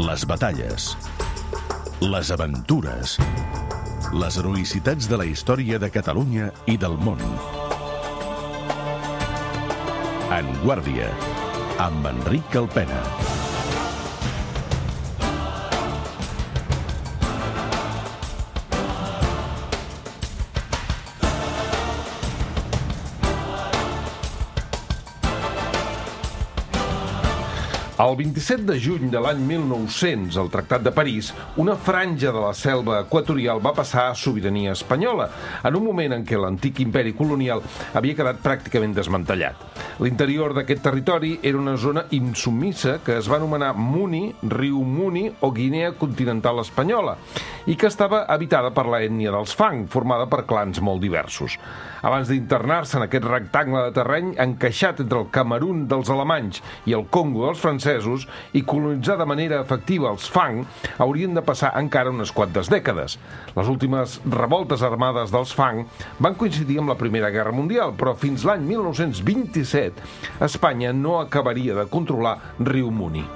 les batalles, les aventures, les heroïcitats de la història de Catalunya i del món. En Guàrdia, amb Enric Alpena. El 27 de juny de l'any 1900, al Tractat de París, una franja de la selva equatorial va passar a sobirania espanyola, en un moment en què l'antic imperi colonial havia quedat pràcticament desmantellat. L'interior d'aquest territori era una zona insubmissa que es va anomenar Muni, riu Muni o Guinea continental espanyola, i que estava habitada per l'ètnia dels Fang, formada per clans molt diversos. Abans d'internar-se en aquest rectangle de terreny encaixat entre el Camerun dels alemanys i el Congo dels francesos i colonitzar de manera efectiva els Fang, haurien de passar encara unes quantes dècades. Les últimes revoltes armades dels Fang van coincidir amb la Primera Guerra Mundial, però fins l'any 1927 Espanya no acabaria de controlar riu Muni.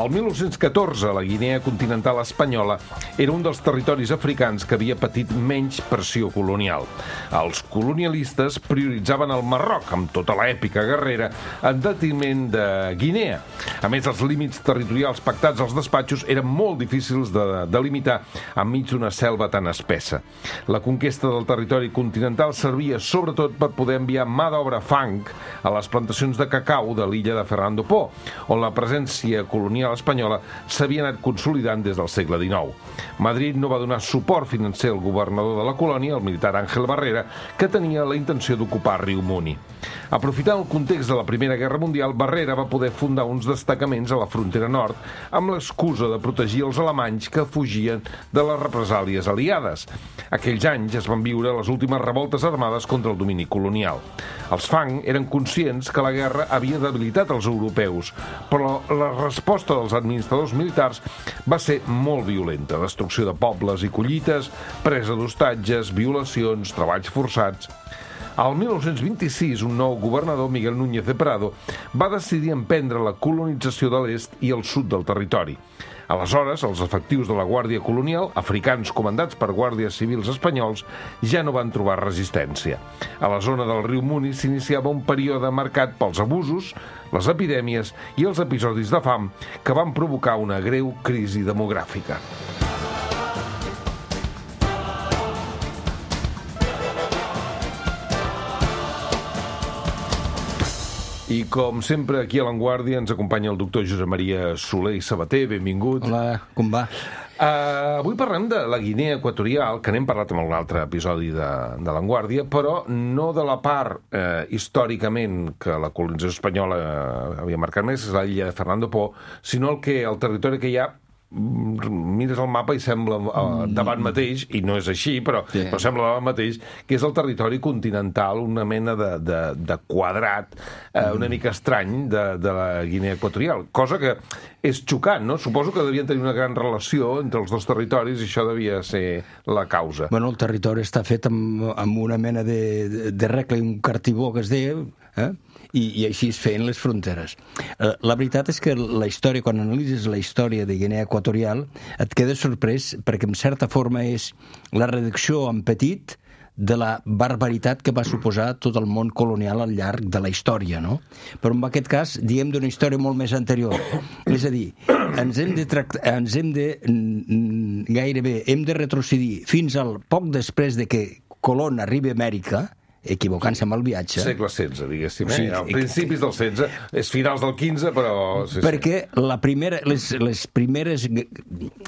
El 1914, la Guinea continental espanyola era un dels territoris africans que havia patit menys pressió colonial. Els colonialistes prioritzaven el Marroc, amb tota l'èpica guerrera, en detriment de Guinea. A més, els límits territorials pactats als despatxos eren molt difícils de delimitar enmig d'una selva tan espessa. La conquesta del territori continental servia sobretot per poder enviar mà d'obra Fang a les plantacions de cacau de l'illa de Fernando Po, on la presència colonial espanyola s'havia anat consolidant des del segle XIX. Madrid no va donar suport financer al governador de la colònia, el militar Ángel Barrera, que tenia la intenció d'ocupar riu Muni. Aprofitant el context de la Primera Guerra Mundial, Barrera va poder fundar uns destacaments a la frontera nord amb l'excusa de protegir els alemanys que fugien de les represàlies aliades. Aquells anys es van viure les últimes revoltes armades contra el domini colonial. Els Fang eren conscients que la guerra havia debilitat els europeus, però la resposta dels administradors militars va ser molt violenta. Destrucció de pobles i collites, presa d'hostatges, violacions, treballs forçats. Al 1926, un nou governador, Miguel Núñez de Prado, va decidir emprendre la colonització de l'est i el sud del territori. Aleshores, els efectius de la Guàrdia Colonial, africans comandats per guàrdies civils espanyols, ja no van trobar resistència. A la zona del riu Muni s'iniciava un període marcat pels abusos, les epidèmies i els episodis de fam que van provocar una greu crisi demogràfica. I com sempre, aquí a l'Avantguàrdia ens acompanya el doctor Josep Maria Soler i Sabater. Benvingut. Hola, com va? Avui parlem de la Guinea Equatorial, que n'hem parlat en un altre episodi de l'Avantguàrdia, però no de la part històricament que la colonització espanyola havia marcat més, és l'illa de Fernando Po, sinó el territori que hi ha. Mires el mapa i sembla davant mateix, i no és així, però sembla davant mateix, que és el territori continental, una mena de quadrat una mica estrany de la Guinea Equatorial, cosa que és xocant, no? Suposo que devien tenir una gran relació entre els dos territoris i això devia ser la causa. Bueno, el territori està fet amb una mena de regle, un cartibó que es deia, i així es feien les fronteres. La veritat és que la història, quan analitzes la història de Guinea Equatorial, et quedes sorprès perquè en certa forma és la reducció en petit de la barbaritat que va suposar tot el món colonial al llarg de la història, no? Però en aquest cas, diem d'una història molt més anterior. És a dir, gairebé hem de retrocedir fins al poc després de que Colón arribi a Amèrica, equivocant-se amb el viatge. Segle XVI, diguéssim. Sí, principis del XVI, és finals del XV, però... Perquè les primeres...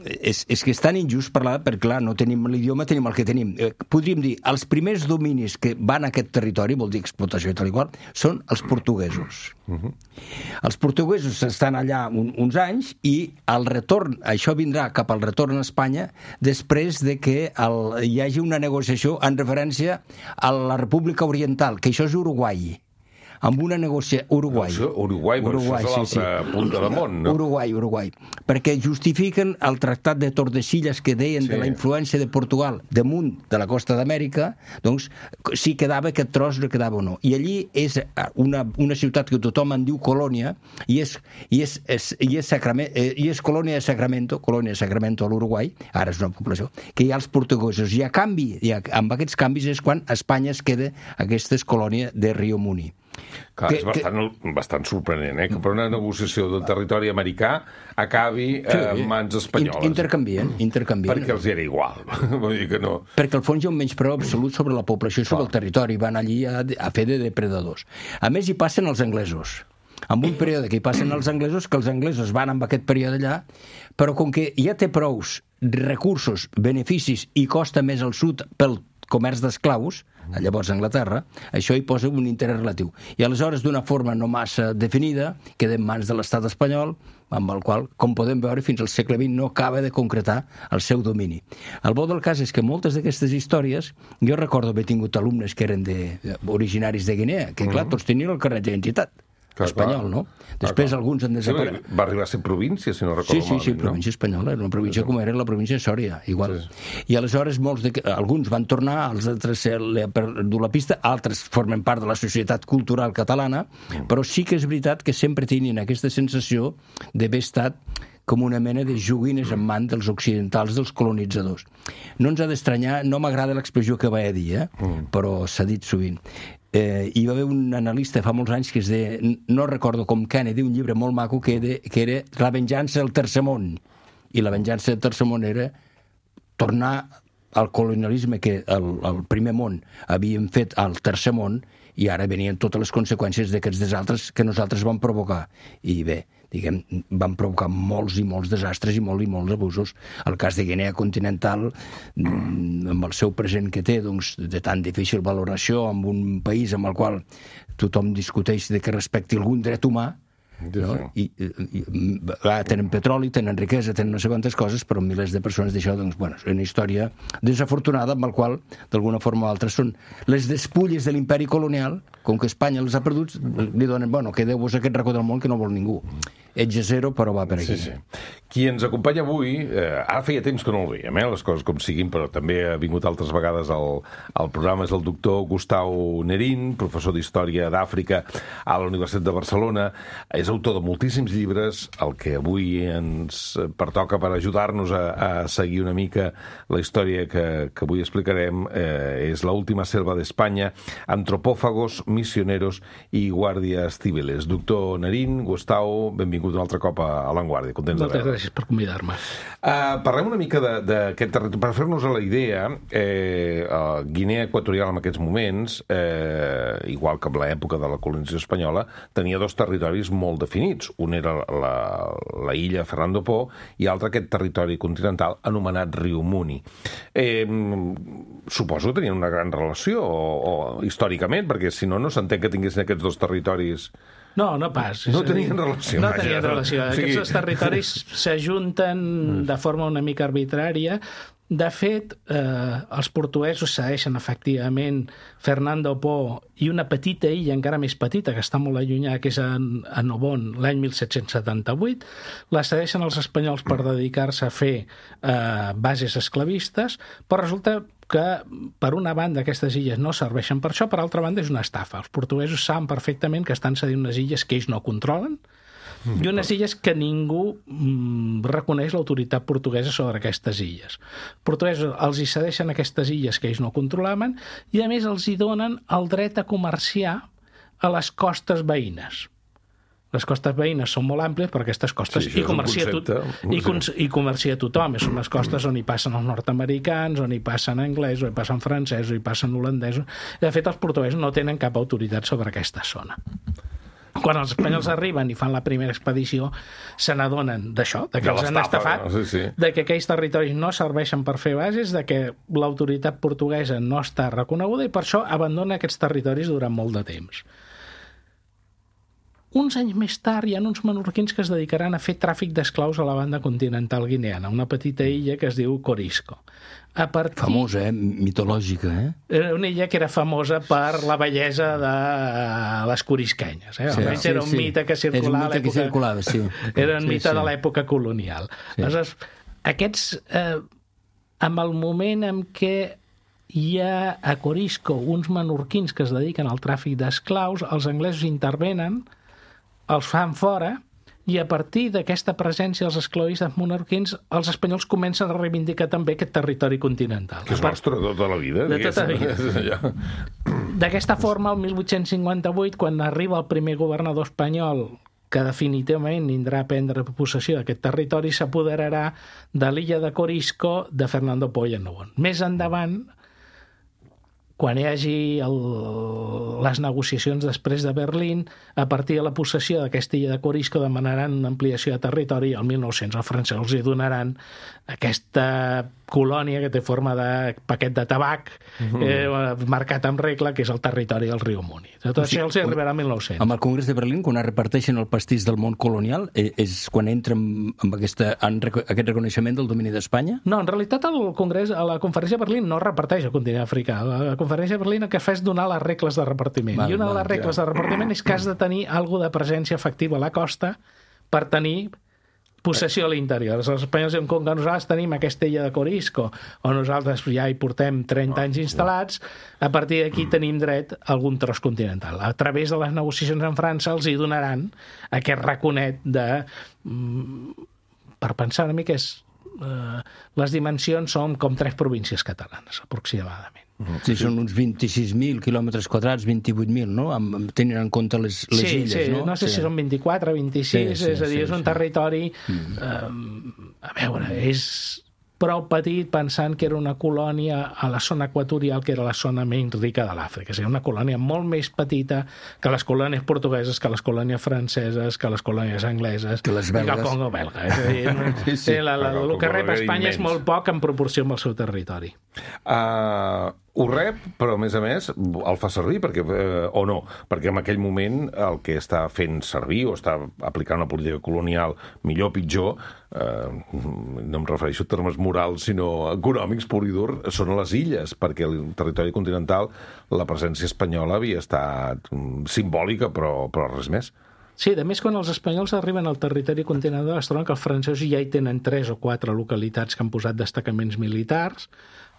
És que és tan injust parlar, perquè clar, no tenim l'idioma, tenim el que tenim. Podríem dir, els primers dominis que van a aquest territori, vol dir explotació i tal i qual, són els portuguesos. Els portuguesos estan allà uns anys i el retorn, això vindrà cap al retorn a Espanya després de que hi hagi una negociació en referència a la República Oriental, que això és Uruguai. amb una negociació... Uruguai, però això és a l'altra punta del món, no? Uruguai. Perquè justifiquen el Tractat de Tordesillas que deien de la influència de Portugal damunt de la costa d'Amèrica, doncs si quedava aquest tros, no quedava o no. I allí és una ciutat que tothom en diu Colònia, i és colònia de Sacramento a l'Uruguai, ara és una població, que hi ha els portuguesos. I a canvi, amb aquests canvis és quan Espanya es queda aquesta colònia de Rio Muni. Clar, és bastant sorprenent, que per una negociació del territori americà acabi en mans espanyoles. Intercanvien. Perquè els era igual. Vull dir que no... Perquè al fons hi ha un menyspreu absolut sobre la població i sobre el territori. Van allí a fer de depredadors. A més, hi passen els anglesos. En un període que hi passen els anglesos, que els anglesos van amb aquest període allà, però com que ja té prous recursos, beneficis i costa més al sud pel comerç d'esclaus, llavors a Anglaterra, això hi posa un interès relatiu. I aleshores, d'una forma no massa definida, queda en mans de l'estat espanyol, amb el qual, com podem veure, fins al segle XX no acaba de concretar el seu domini. El bo del cas és que moltes d'aquestes històries, jo recordo haver tingut alumnes que eren originaris de Guinea, que clar, tots tenien el carnet d'identitat espanyol, no? Després alguns han desaparegut. Va arribar a ser província, si no recordo malament. Sí, província espanyola, era una província com era la província de Sòria, igual. I aleshores alguns van tornar, els altres han perdut la pista, altres formen part de la societat cultural catalana, però sí que és veritat que sempre tenien aquesta sensació d'haver estat com una mena de joguines en mans dels occidentals, dels colonitzadors. No ens ha d'estranyar, no m'agrada l'expressió que va dir, però s'ha dit sovint. Hi va haver un analista fa molts anys que es deia, no recordo com Kennedy, un llibre molt maco que era La venjança del tercer món. I la venjança del tercer món era tornar al colonialisme que el primer món havien fet al tercer món, i ara venien totes les conseqüències d'aquests desaltres que nosaltres vam provocar. I bé, diguem, van provocar molts i molts desastres i molts abusos. El cas de Guinea Continental, amb el seu present que té, doncs, de tan difícil valoració, amb un país amb el qual tothom discuteix de que respecti algun dret humà, no? I tenen petroli, tenen riquesa, tenen no sé quantes coses, però milers de persones d'això, doncs, bueno, és una història desafortunada amb la qual, d'alguna forma o altra, són les despulles de l'imperi colonial, com que Espanya els ha perdut, li donen, bueno, quedeu-vos aquest racó del món que no vol ningú. Ets a zero, però va per aquí. Sí. Qui ens acompanya avui, ara feia temps que no el veiem, les coses com siguin, però també ha vingut altres vegades al programa, és el doctor Gustau Nerín, professor d'Història d'Àfrica a la Universitat de Barcelona, és autor de moltíssims llibres. El que avui ens pertoca per ajudar-nos a seguir una mica la història que avui explicarem és La última selva d'Espanya, Antropófagos, Misioneros i Guàrdies Civiles. Doctor Nerín, Gustau, benvingut un altre cop a L'Enguàrdia. Contents de veure. Moltes gràcies per convidar-me. Parlem una mica d'aquest territori. Per fer-nos a la idea, Guinea Equatorial en aquests moments, igual que en l'època de la colonització espanyola, tenia dos territoris molt definits. Un era la illa Fernando Po i l'altre aquest territori continental anomenat Riu Muni. Suposo que tenien una gran relació, històricament, perquè si no s'entén que tinguessin aquests dos territoris... No pas. No tenien relació. No tenien relació. Aquests dos territoris s'ajunten de forma una mica arbitrària. De fet, els portuguesos cedeixen efectivament Fernando Po i una petita illa encara més petita, que està molt allunyada, que és a Nobon, l'any 1778. La cedeixen els espanyols per dedicar-se a fer bases esclavistes, però resulta que, per una banda, aquestes illes no serveixen per això, per altra banda, és una estafa. Els portuguesos saben perfectament que estan cedint unes illes que ells no controlen, i unes illes que ningú reconeix l'autoritat portuguesa sobre aquestes illes. Els portuguesos els hi cedeixen aquestes illes que ells no controlaven i, a més, els hi donen el dret a comerciar a les costes veïnes. Les costes veïnes són molt àmplies, però aquestes costes hi comercia tothom. Són les costes on hi passen els nord-americans, on hi passen anglesos, on hi passen francesos, on hi passen holandesos. De fet, els portuguesos no tenen cap autoritat sobre aquesta zona. Quan els espanyols arriben i fan la primera expedició, se n'adonen d'això, de que els han estafat, de que aquells territoris no serveixen per fer bases, de que l'autoritat portuguesa no està reconeguda i per això abandona aquests territoris durant molt de temps. uns anys més tard hi ha uns menorquins que es dedicaran a fer tràfic d'esclaus a la banda continental guineana, una petita illa que es diu Corisco. Famosa, mitològica, Una illa que era famosa per la bellesa de les corisquenyes. Almenys era un mite que circulava a l'època... Era un mite de l'època colonial. Aleshores, aquests, amb el moment en què hi ha a Corisco uns menorquins que es dediquen al tràfic d'esclaus, els anglesos intervenen, els fan fora, i a partir d'aquesta presència dels esclavistes menorquins, els espanyols comencen a reivindicar també aquest territori continental. Que és nostre de tota la vida. De tota la vida. D'aquesta forma, el 1858, quan arriba el primer governador espanyol que definitivament vindrà a prendre possessió d'aquest territori, s'apoderarà de l'illa de Corisco de Fernando Polo Nobón. Més endavant, quan hi hagi les negociacions després de Berlín, a partir de la possessió d'aquesta illa de Corisco demanaran una ampliació de territori i el 1900 els francesos els hi donaran aquesta colònia que té forma de paquet de tabac marcat amb regla, que és el territori del riu Muni. Tot això els arribarà al 1900. Amb el Congrés de Berlín, quan es reparteixen el pastís del món colonial, és quan entra amb aquest reconeixement del domini d'Espanya? No, en realitat el Congrés, a la Conferència de Berlín no reparteix el continent africà. La Conferència de Berlín el que fa és donar les regles de repartiment. I una de les regles de repartiment és que has de tenir alguna de presència efectiva a la costa per tenir possessió a l'interior. Els espanyols diuen, com que nosaltres tenim aquesta illa de Corisco, o nosaltres ja hi portem 30 anys instal·lats, a partir d'aquí tenim dret a algun tros continental. A través de les negociacions amb França els hi donaran aquest raconet de... Per pensar una mica, les dimensions són com 3 províncies catalanes, aproximadament. Sí, són uns 26.000 quilòmetres quadrats, 28.000, no? Tenint en compte les illes, no? No sé si són 24, 26, és a dir, és un territori... A veure, és prou petit pensant que era una colònia a la zona equatorial, que era la zona menys rica de l'Àfrica. És una colònia molt més petita que les colònies portugueses, que les colònies franceses, que les colònies angleses, que les belgues. I que el Congo belga. És a dir, el que rep Espanya és molt poc en proporció amb el seu territori. Ho rep, però a més el fa servir, o no, perquè en aquell moment el que està fent servir o està aplicant una política colonial millor o pitjor, no em refereixo a termes morals, sinó econòmics, pur i dur, són a les illes, perquè el territori continental, la presència espanyola havia estat simbòlica, però res més. Sí, a més, quan els espanyols arriben al territori continental es troben que els francesos ja hi tenen 3 o 4 localitats que han posat destacaments militars.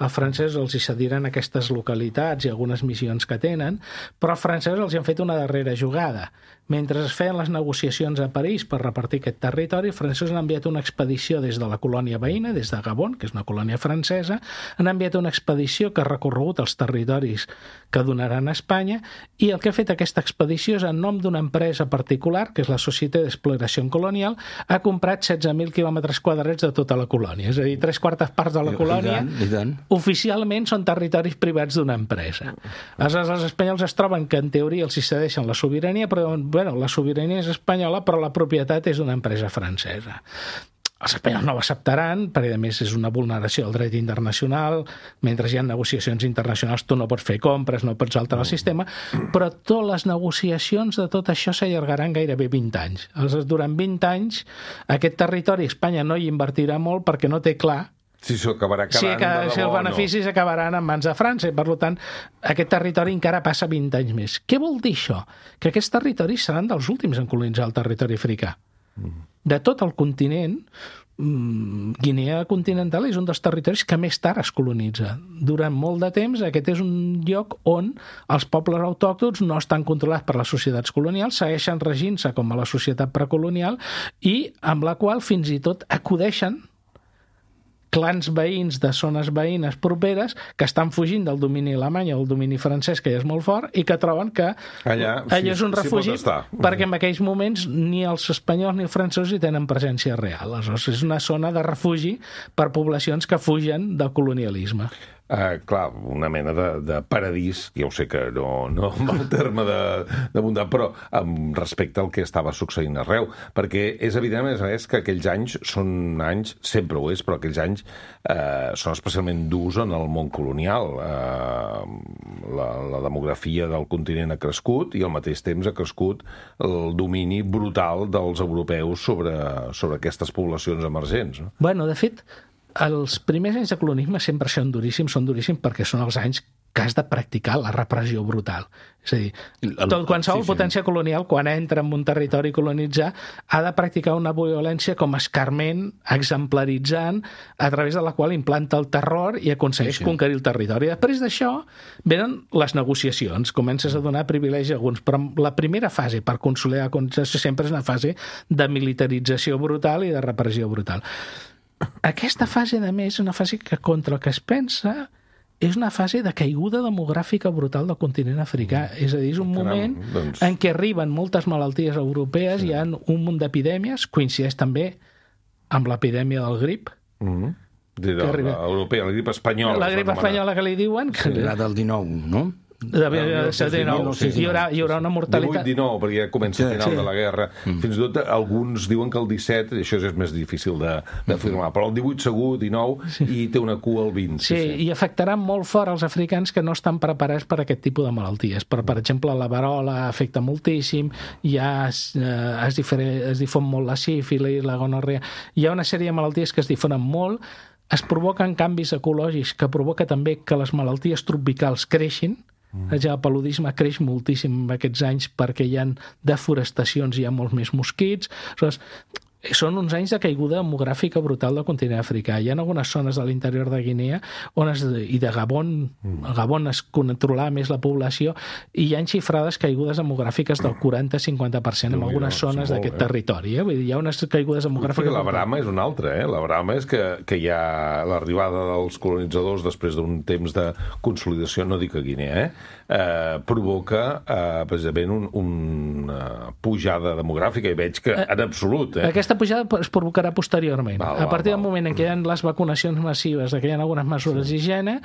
Els francesos els hi cediran aquestes localitats i algunes missions que tenen, però els francesos els hi han fet una darrera jugada. Mentre es feien les negociacions a París per repartir aquest territori, els francesos han enviat una expedició des de la colònia veïna, des de Gabon, que és una colònia francesa, han enviat una expedició que ha recorregut els territoris que donaran a Espanya, i el que ha fet aquesta expedició és, en nom d'una empresa particular, que és la Société d'Exploració Colonial, ha comprat 16.000 quilòmetres quadrats de tota la colònia. És a dir, 3/4 parts de la colònia oficialment són territoris privats d'una empresa. Aleshores, els espanyols es troben que en teoria els hi cedeixen la sobirania, però la sobirania és espanyola, però la propietat és d'una empresa francesa. Els espanyols no ho acceptaran, perquè a més és una vulneració del dret internacional, mentre hi ha negociacions internacionals tu no pots fer compres, no pots alterar el sistema, però totes les negociacions de tot això s'allargaran gairebé 20 anys. Aleshores, durant 20 anys, aquest territori Espanya no hi invertirà molt perquè no té clar si els beneficis acabaran en mans de França, i per tant aquest territori encara passa 20 anys més. Què vol dir això? Que aquests territoris seran dels últims en colonitzar el territori africà. De tot el continent, Guinea continental és un dels territoris que més tard es colonitza. Durant molt de temps aquest és un lloc on els pobles autòctons no estan controlats per les societats colonials, segueixen regint-se com a la societat precolonial, i amb la qual fins i tot acudeixen clans veïns de zones veïnes properes que estan fugint del domini alemany o del domini francès, que ja és molt fort, i que troben que allà és un refugi, perquè en aquells moments ni els espanyols ni els francesos hi tenen presència real. Aleshores, és una zona de refugi per poblacions que fugen del colonialisme. Clar, una mena de paradís, ja ho sé que no amb el terme de bondat, però respecte al que estava succeint arreu, perquè és evident, a més, que aquells anys són anys, sempre ho és, però aquells anys són especialment durs en el món colonial. la demografia del continent ha crescut i al mateix temps ha crescut el domini brutal dels europeus sobre aquestes poblacions emergents. No? Bueno, de fet, els primers anys de colonialisme sempre són duríssims perquè són els anys que has de practicar la repressió brutal. És a dir, qualsevol potència colonial, quan entra en un territori colonitzar, ha de practicar una violència com a escarment, exemplaritzant, a través de la qual implanta el terror i aconsegueix conquerir el territori. Després d'això venen les negociacions, comences a donar privilegi a alguns, però la primera fase per consolidar la colonització sempre és una fase de militarització brutal i de repressió brutal. Aquesta fase, a més, és una fase que contra el que es pensa és una fase de caiguda demogràfica brutal del continent africà. És a dir, és un moment en què arriben moltes malalties europees, hi ha un munt d'epidèmies, coincideix també amb l'epidèmia del grip. Europea, la grip espanyola. La grip espanyola que li diuen. La del 19, no? Hi haurà una mortalitat 18-19, perquè ja comença el final de la guerra. Fins i tot alguns diuen que el 17, això és més difícil d'afirmar, però el 18 segur, 19, i té una cua al 20. Sí, i afectarà molt fort els africans que no estan preparats per a aquest tipus de malalties. Però, per exemple, la verola afecta moltíssim, ja es difon molt la sífilis, la gonorrea. Hi ha una sèrie de malalties que es difonen molt, es provoquen canvis ecològics que provoca també que les malalties tropicals creixin. El paludisme creix moltíssim aquests anys perquè hi ha deforestacions, hi ha molts més mosquits. Són uns anys de caiguda demogràfica brutal del continent africà. Hi ha algunes zones de l'interior de Guinea i de Gabon, a Gabon es controlava més la població i hi ha xifrades caigudes demogràfiques del 40-50% en algunes zones d'aquest territori. Vull dir, hi ha unes caigudes demogràfiques... La Brama és una altra, La Brama és que hi ha l'arribada dels colonitzadors després d'un temps de consolidació, no dic a Guinea, provoca precisament una pujada demogràfica i veig que en absolut... Aquesta pujada es provocarà posteriorment. A partir del moment en què hi ha les vacunacions massives, que hi ha algunes mesures d'higiene,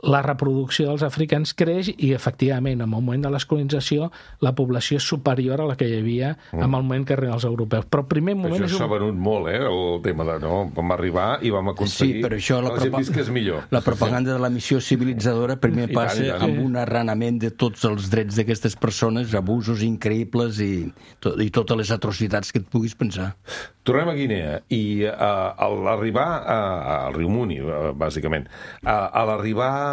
la reproducció dels africans creix i, efectivament, en el moment de l'escolonització, la població és superior a la que hi havia en el moment que arriben els europeus. Però el primer moment això s'ha venut molt, el tema de vam arribar i vam aconseguir però això la gent visqués millor. La propaganda de la missió civilitzadora primer passa amb un arranament de tots els drets d'aquestes persones, abusos increïbles i totes les atrocitats que et puguis pensar. Tornem a Guinea i a l'arribar al riu Muni, bàsicament, a l'arribar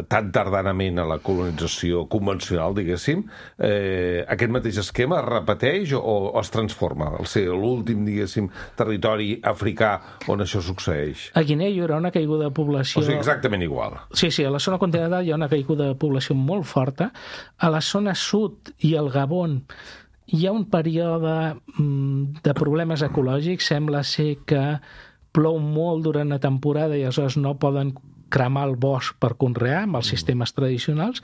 tan tardanament a la colonització convencional, diguéssim, aquest mateix esquema es repeteix o es transforma? Al ser l'últim, diguéssim, territori africà on això succeeix? A Guinea hi haurà una caiguda de població... O sigui, exactament igual. Sí, a la zona continental hi ha una caiguda de població molt forta. A la zona sud i al Gabon hi ha un període de problemes ecològics. Sembla ser que plou molt durant la temporada i aleshores no poden cremar el bosc per conrear amb els sistemes tradicionals,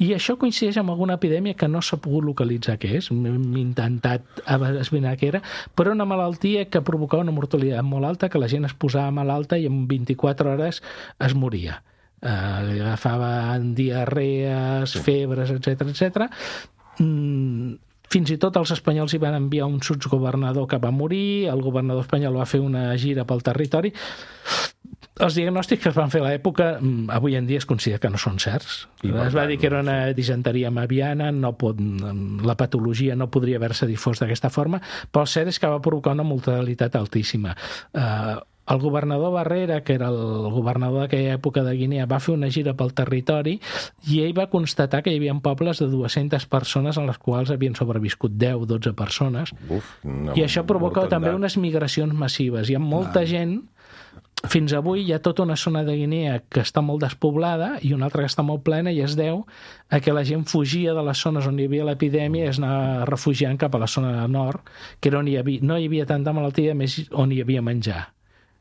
i això coincideix amb alguna epidèmia que no s'ha pogut localitzar què és. Hem intentat esbrinar què era, però una malaltia que provocava una mortalitat molt alta, que la gent es posava malalta i en 24 hores es moria. Li agafaven diarrees, febres, etc. Fins i tot els espanyols hi van enviar un sotsgovernador que va morir, el governador espanyol va fer una gira pel territori. Els diagnòstics que es van fer a l'època avui en dia es considera que no són certs. Es va dir que era una disenteria maviana, la patologia no podria haver-se difós d'aquesta forma, però el cert és que va provocar una mortalitat altíssima. El governador Barrera, que era el governador d'aquella època de Guinea, va fer una gira pel territori i ell va constatar que hi havia pobles de 200 persones en les quals havien sobreviscut 10-12 persones. I això provoca també unes migracions massives. Hi ha molta gent. Fins avui hi ha tota una zona de Guinea que està molt despoblada i una altra que està molt plena, i es deu a que la gent fugia de les zones on hi havia l'epidèmia i es anava refugiant cap a la zona nord, que era on no hi havia tanta malaltia, més on hi havia menjar.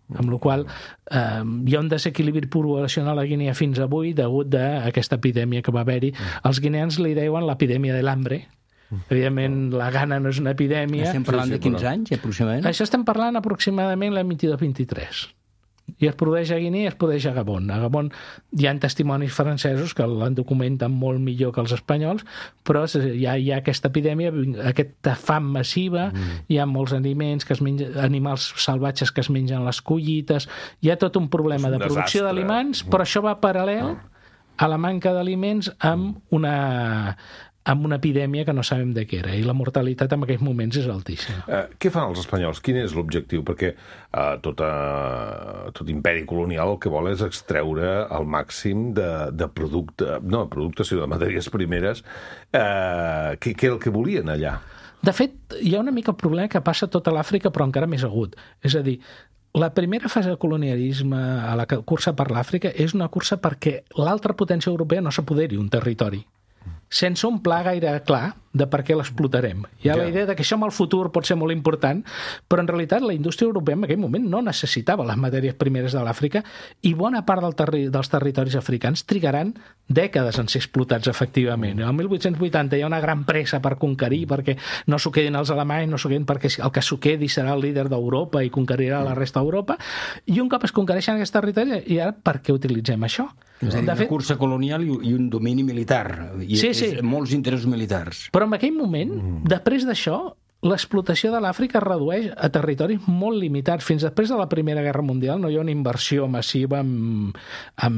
Amb la qual hi ha un desequilibri poblacional a Guinea fins avui degut a aquesta epidèmia que va haver-hi. Els guineans li deuen l'epidèmia de l'hambre. Evidentment, la gana no és una epidèmia. Estem parlant de 15 anys, aproximadament? Això estem parlant aproximadament l'any 22-23. I es produeix a Guinea i es produeix a Gabon. A Gabon hi ha testimonis francesos que l'han documenten molt millor que els espanyols, però hi ha aquesta epidèmia, aquesta fam massiva, hi ha molts aliments que es mengen, animals salvatges que es mengen les collites, hi ha tot un problema de producció d'aliments, però això va paral·lel a la manca d'aliments amb una epidèmia que no sabem de què era, i la mortalitat en aquells moments és altíssima. Què fan els espanyols? Quin és l'objectiu? Perquè tot imperi colonial el que vol és extreure el màxim de producte, no de productes, sinó de matèries primeres. Què és el que volien allà? De fet, hi ha una mica el problema que passa a tota l'Àfrica, però encara més agut. És a dir, la primera fase de colonialisme a la cursa per l'Àfrica és una cursa perquè l'altra potència europea no s'apoderi un territori, sense un pla gaire clar de per què l'explotarem. Hi ha la idea de que això en el futur pot ser molt important, però en realitat la indústria europea en aquell moment no necessitava les matèries primeres de l'Àfrica i bona part dels territoris africans trigaran dècades en ser explotats efectivament. El 1880 hi ha una gran pressa per conquerir, perquè no s'ho quedin els alemanys, no s'ho quedin perquè el que s'ho quedi serà el líder d'Europa i conquerirà la resta d'Europa, i un cop es conquereixen aquests territoris, i ara per què utilitzem això? És a dir, una cursa colonial i un domini militar, i molts interessos militars. Però en aquell moment, després d'això, l'explotació de l'Àfrica es redueix a territoris molt limitats. Fins després de la Primera Guerra Mundial no hi ha una inversió massiva en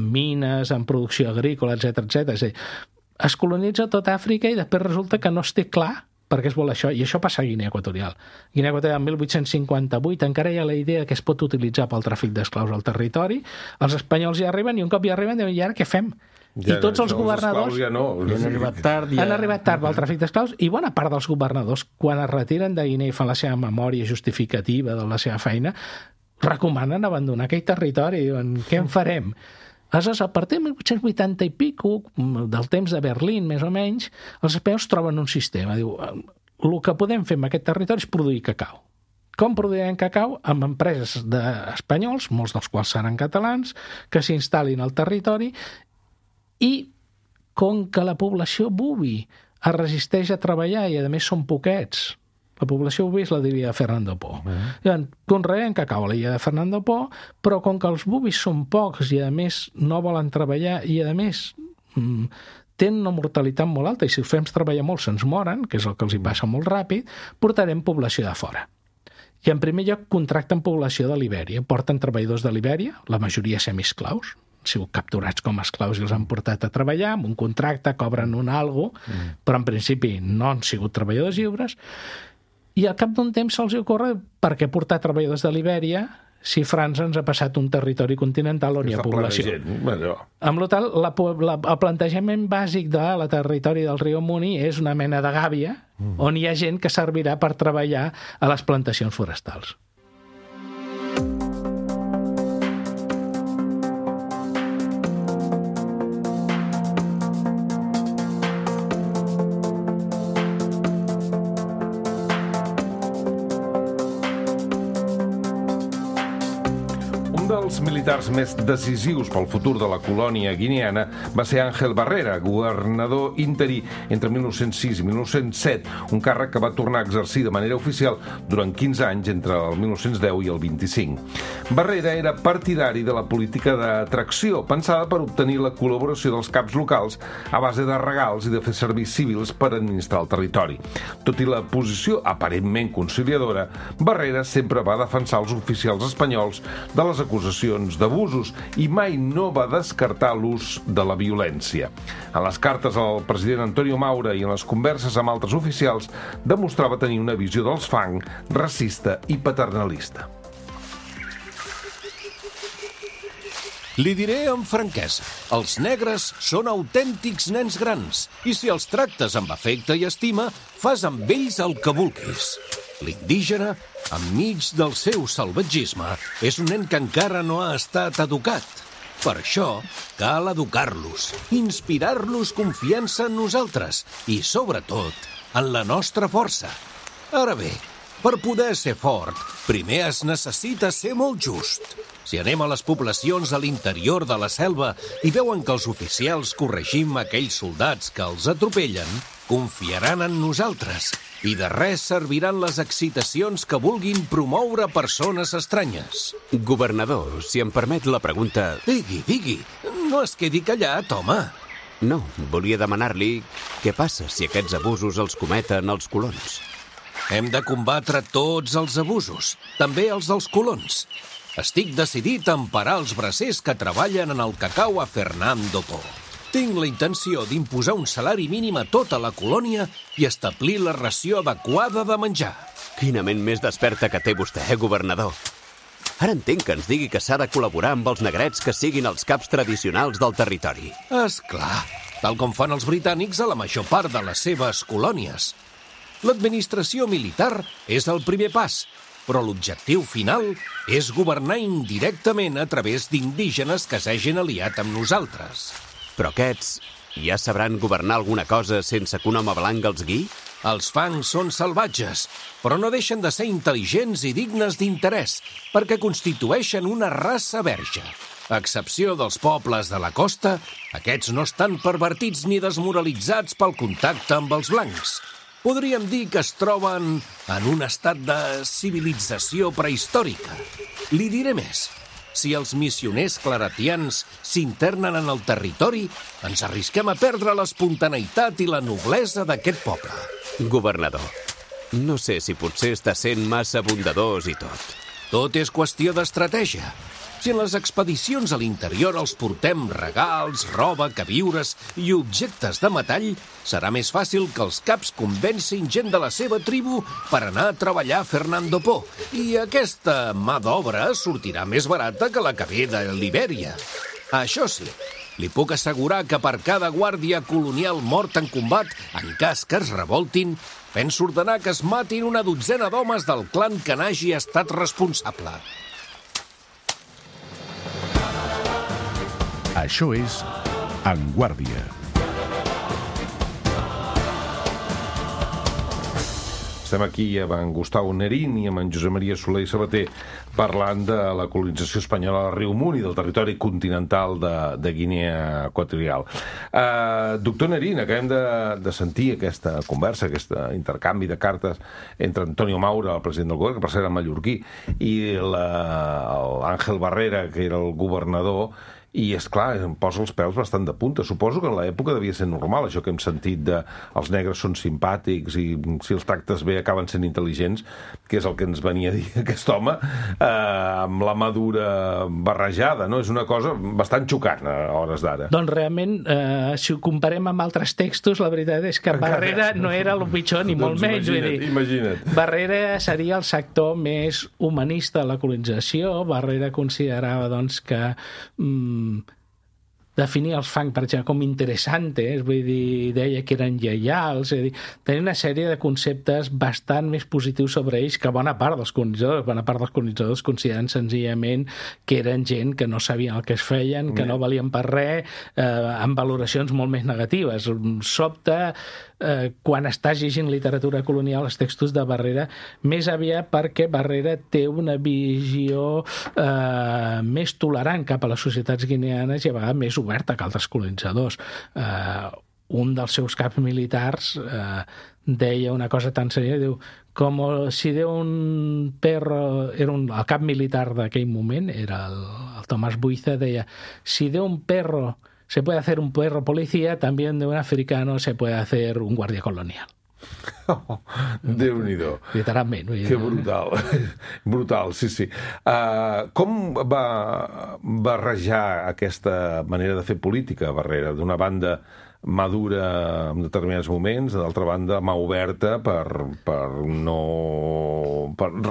mines, en producció agrícola, etc. És a dir, es colonitza tota Àfrica i després resulta que no es té clar per què es vol això, i això passa a Guinea Equatorial. Guinea Equatorial, 1858, encara hi ha la idea que es pot utilitzar pel tràfic d'esclaus al territori, els espanyols hi arriben, i un cop hi arriben diuen, i ara què fem? I tots els governadors han arribat tard. Han arribat tard pel tràfic d'esclaus, i bona part dels governadors, quan es retiren de Guinea i fan la seva memòria justificativa de la seva feina, recomanen abandonar aquell territori, diuen, què en farem? Aleshores, a partir de 1880 i pico, del temps de Berlín, més o menys, els espanyols troben un sistema. Diu, el que podem fer en aquest territori és produir cacau. Com produirem cacau? Amb empreses espanyols, molts dels quals seran catalans, que s'instal·lin al territori, i com que la població bubi es resisteix a treballar i, a més, són poquets, la població bubis la diria Fernando Po. Conreen cacau a l'illa de Fernando Po, però com que els bubis són pocs i, a més, no volen treballar i, a més, tenen una mortalitat molt alta i si els fem treballar molt se'ns moren, que és el que els hi passa molt ràpid, portarem població de fora. I, en primer lloc, contracten població de Libèria. Porten treballadors de Libèria, la majoria semiesclaus, han sigut capturats com a esclaus i els han portat a treballar, amb un contracte, cobren un algo, però en principi no han sigut treballadors lliures, i al cap d'un temps se'ls ocorre per què portar treballadors de Libèria si França ens ha passat un territori continental on hi ha població. Amb la tal, el plantejament bàsic de la territori del riu Muni és una mena de gàbia on hi ha gent que servirà per treballar a les plantacions forestals. dels militars més decisius pel futur de la colònia guineana va ser Ángel Barrera, governador interí entre 1906 i 1907, un càrrec que va tornar a exercir de manera oficial durant 15 anys entre el 1910 i el 25. Barrera era partidari de la política d'atracció, pensada per obtenir la col·laboració dels caps locals a base de regals i de fer serveis civils per administrar el territori. Tot i la posició aparentment conciliadora, Barrera sempre va defensar els oficials espanyols de les acusacions d'abusos i mai no va descartar l'ús de la violència. En les cartes al president Antonio Maura i en les converses amb altres oficials demostrava tenir una visió dels Fang racista i paternalista. Li diré amb franquesa, els negres són autèntics nens grans i si els tractes amb afecte i estima, fas amb ells el que vulguis. L'indígena, enmig del seu salvatgisme, és un nen que encara no ha estat educat. Per això, cal educar-los, inspirar-los confiança en nosaltres i, sobretot, en la nostra força. Ara bé, per poder ser fort, primer es necessita ser molt just. Si anem a les poblacions a l'interior de la selva i veuen que els oficials corregim aquells soldats que els atropellen, confiaran en nosaltres i de res serviran les excitacions que vulguin promoure persones estranyes. Governador, si em permet la pregunta... Digui, no es quedi callat, home. No, volia demanar-li què passa si aquests abusos els cometen els colons. Hem de combatre tots els abusos, també els dels colons. Estic decidit a emparar els bracers que treballen en el cacau a Fernando Po. Tinc la intenció d'imposar un salari mínim a tota la colònia i establir la ració adequada de menjar. Quina ment més desperta que té vostè, governador. Ara entenc que ens digui que s'ha de col·laborar amb els negrets que siguin els caps tradicionals del territori. És clar, tal com fan els britànics a la major part de les seves colònies. L'administració militar és el primer pas, però l'objectiu final és governar indirectament a través d'indígenes que s'hagin aliat amb nosaltres. Però aquests ja sabran governar alguna cosa sense que un home blanc els guiï? Els fangs són salvatges, però no deixen de ser intel·ligents i dignes d'interès, perquè constitueixen una raça verge. A excepció dels pobles de la costa, aquests no estan pervertits ni desmoralitzats pel contacte amb els blancs. Podríem dir que es troben en un estat de civilització prehistòrica. Li diré més. Si els missioners claretians s'internen en el territori, ens arrisquem a perdre l'espontaneïtat i la noblesa d'aquest poble. Governador, no sé si potser està sent massa bondadós i tot. Tot és qüestió d'estratègia. Si en les expedicions a l'interior els portem regals, roba, queviures i objectes de metall, serà més fàcil que els caps convencin gent de la seva tribu per anar a treballar a Fernando Po. I aquesta mà d'obra sortirà més barata que la que ve de Libèria. Això sí, li puc assegurar que per cada guàrdia colonial mort en combat, en cas que es revoltin, penso ordenar que es matin una dotzena d'homes del clan que n'hagi estat responsable. Això és En Guàrdia. Estem aquí amb en Gustau Nerín i amb en Josep Maria Soler i Sabater parlant de la colonització espanyola del riu Muni, del territori continental de Guinea Equatorial. Doctor Nerín, acabem de sentir aquesta conversa, aquest intercanvi de cartes entre Antonio Maura, el president del govern, que per cert era mallorquí, i l'Àngel Barrera, que era el governador. I, esclar, em posa els pèls bastant de punta. Suposo que en l'època devia ser normal, això que hem sentit de els negres són simpàtics i si els tractes bé acaben sent intel·ligents, que és el que ens venia a dir aquest home, amb la madura barrejada, no? És una cosa bastant xocant a hores d'ara. Doncs realment, si ho comparem amb altres textos, la veritat és que Barrera no era el pitjor, ni molt menys. Imagina't. Barrera seria el sector més humanista de la colonització. Barrera considerava, doncs, que definir els fang, per exemple, com interessantes, vull dir, deia que eren lleials, és a dir, tenia una sèrie de conceptes bastant més positius sobre ells que bona part dels colonitzadors consideren senzillament que eren gent que no sabien el que es feien, que no valien per res, amb valoracions molt més negatives. Sobta quan estàs llegint literatura colonial, els textos de Barrera, més aviat perquè Barrera té una visió més tolerant cap a les societats guineanes i a vegades més oberta que altres colonitzadors. Un dels seus caps militars deia una cosa tan sèria, diu, com si de un perro, el cap militar d'aquell moment, era el Tomás Buiza, deia, si de un perro se puede hacer un perro policía, también de un africano se puede hacer un guàrdia colonial. Oh, Déu-n'hi-do. Literalment. Que brutal. Brutal, sí. Com va barrejar aquesta manera de fer política, Barrera? D'una banda, mà dura en determinats moments, d'altra banda, mà oberta per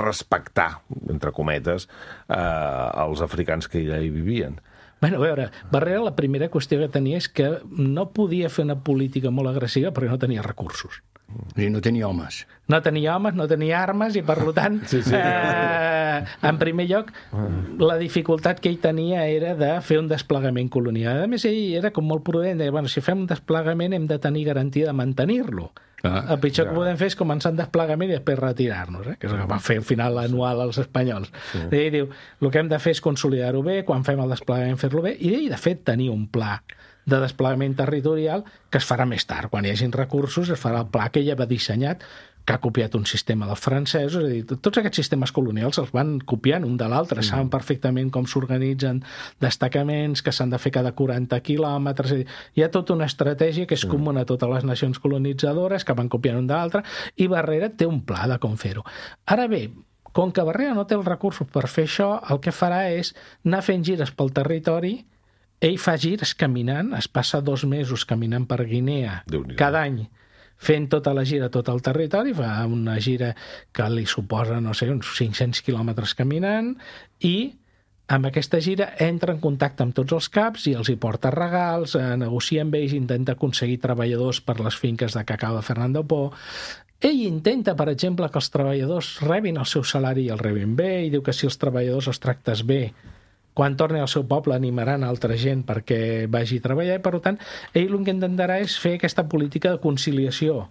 respectar, entre cometes, els africans que allà hi vivien. Bueno, a veure, Barrera la primera qüestió que tenia és que no podia fer una política molt agressiva perquè no tenia recursos. I no tenia homes. No tenia homes, no tenia armes i, per tant, en primer lloc, la dificultat que ell tenia era de fer un desplegament colonial. A més, ell era com molt prudent, deia, bueno, si fem un desplegament hem de tenir garantia de mantenir-lo. El pitjor que podem fer és començar en desplegament i després retirar-nos, que és el que van fer al final anual als espanyols. I diu, el que hem de fer és consolidar-ho bé, quan fem el desplegament fer-lo bé, i de fet tenir un pla de desplegament territorial que es farà més tard. Quan hi hagin recursos es farà el pla que ella va dissenyat, que ha copiat un sistema dels francesos, és a dir, tots aquests sistemes colonials els van copiant un de l'altre, saben perfectament com s'organitzen destacaments, que s'han de fer cada 40 quilòmetres, hi ha tota una estratègia que és comuna a totes les nacions colonitzadores, que van copiant un de l'altre, i Barrera té un pla de com fer-ho. Ara bé, com que Barrera no té els recursos per fer això, el que farà és anar fent gires pel territori. Ell fa gires caminant, es passa 2 mesos caminant per Guinea cada any, fent tota la gira, tot el territori, fa una gira que li suposa, no sé, uns 500 quilòmetres caminant, i amb aquesta gira entra en contacte amb tots els caps i els hi porta regals, negocia amb ells, intenta aconseguir treballadors per les finques de cacau de Fernando Po. Ell intenta, per exemple, que els treballadors rebin el seu salari i el rebin bé, i diu que si els treballadors els tractes bé, quan torni al seu poble animaran altra gent perquè vagi a treballar, i per tant ell el que intentarà és fer aquesta política de conciliació,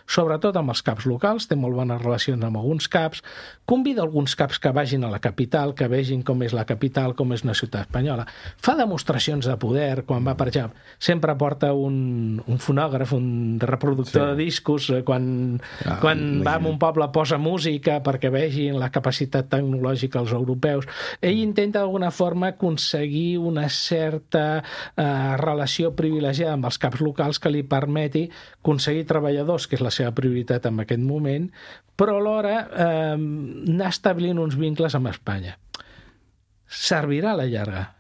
sobretot amb els caps locals, té molt bones relacions amb alguns caps, convida alguns caps que vagin a la capital, que vegin com és la capital, com és una ciutat espanyola, fa demostracions de poder, quan va per allà, sempre porta un fonògraf, un reproductor de discos, quan va a un poble posa música perquè vegin la capacitat tecnològica dels europeus. Ell intenta d'alguna forma aconseguir una certa relació privilegiada amb els caps locals que li permeti aconseguir treballadors, que és la seva prioritat en aquest moment, però alhora anar establint uns vincles amb Espanya. Servirà a la llarga.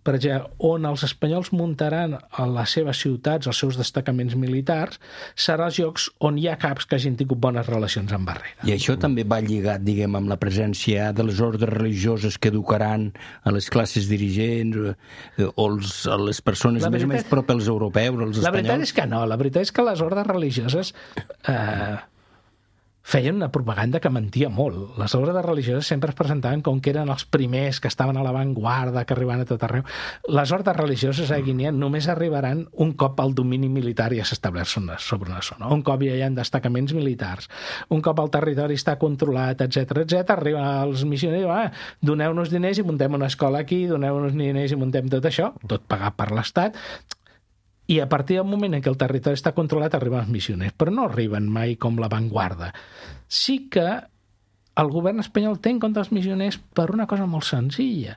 Per exemple, on els espanyols muntaran a les seves ciutats, els seus destacaments militars, serà els llocs on hi ha caps que hagin tingut bones relacions amb Barrera. I això també va lligat, diguem, amb la presència de les ordres religioses que educaran a les classes dirigents o a les persones més prop als europeus, als espanyols? La veritat és que no. La veritat és que les ordres religioses feien una propaganda que mentia molt. Les ordres religioses sempre es presentaven com que eren els primers, que estaven a l'avantguarda, que arribaven a tot arreu. Les ordres religioses a Guinea només arribaran un cop el domini militar ja s'estableix sobre una zona, un cop ja hi ha destacaments militars, un cop el territori està controlat, etc, arriben els missioners i diuen, doneu-nos diners i muntem una escola aquí, doneu-nos diners i muntem tot això, tot pagat per l'Estat. I a partir del moment en què el territori està controlat arriben els missioners, però no arriben mai com l'avantguarda. Sí que el govern espanyol té en compte els missioners per una cosa molt senzilla,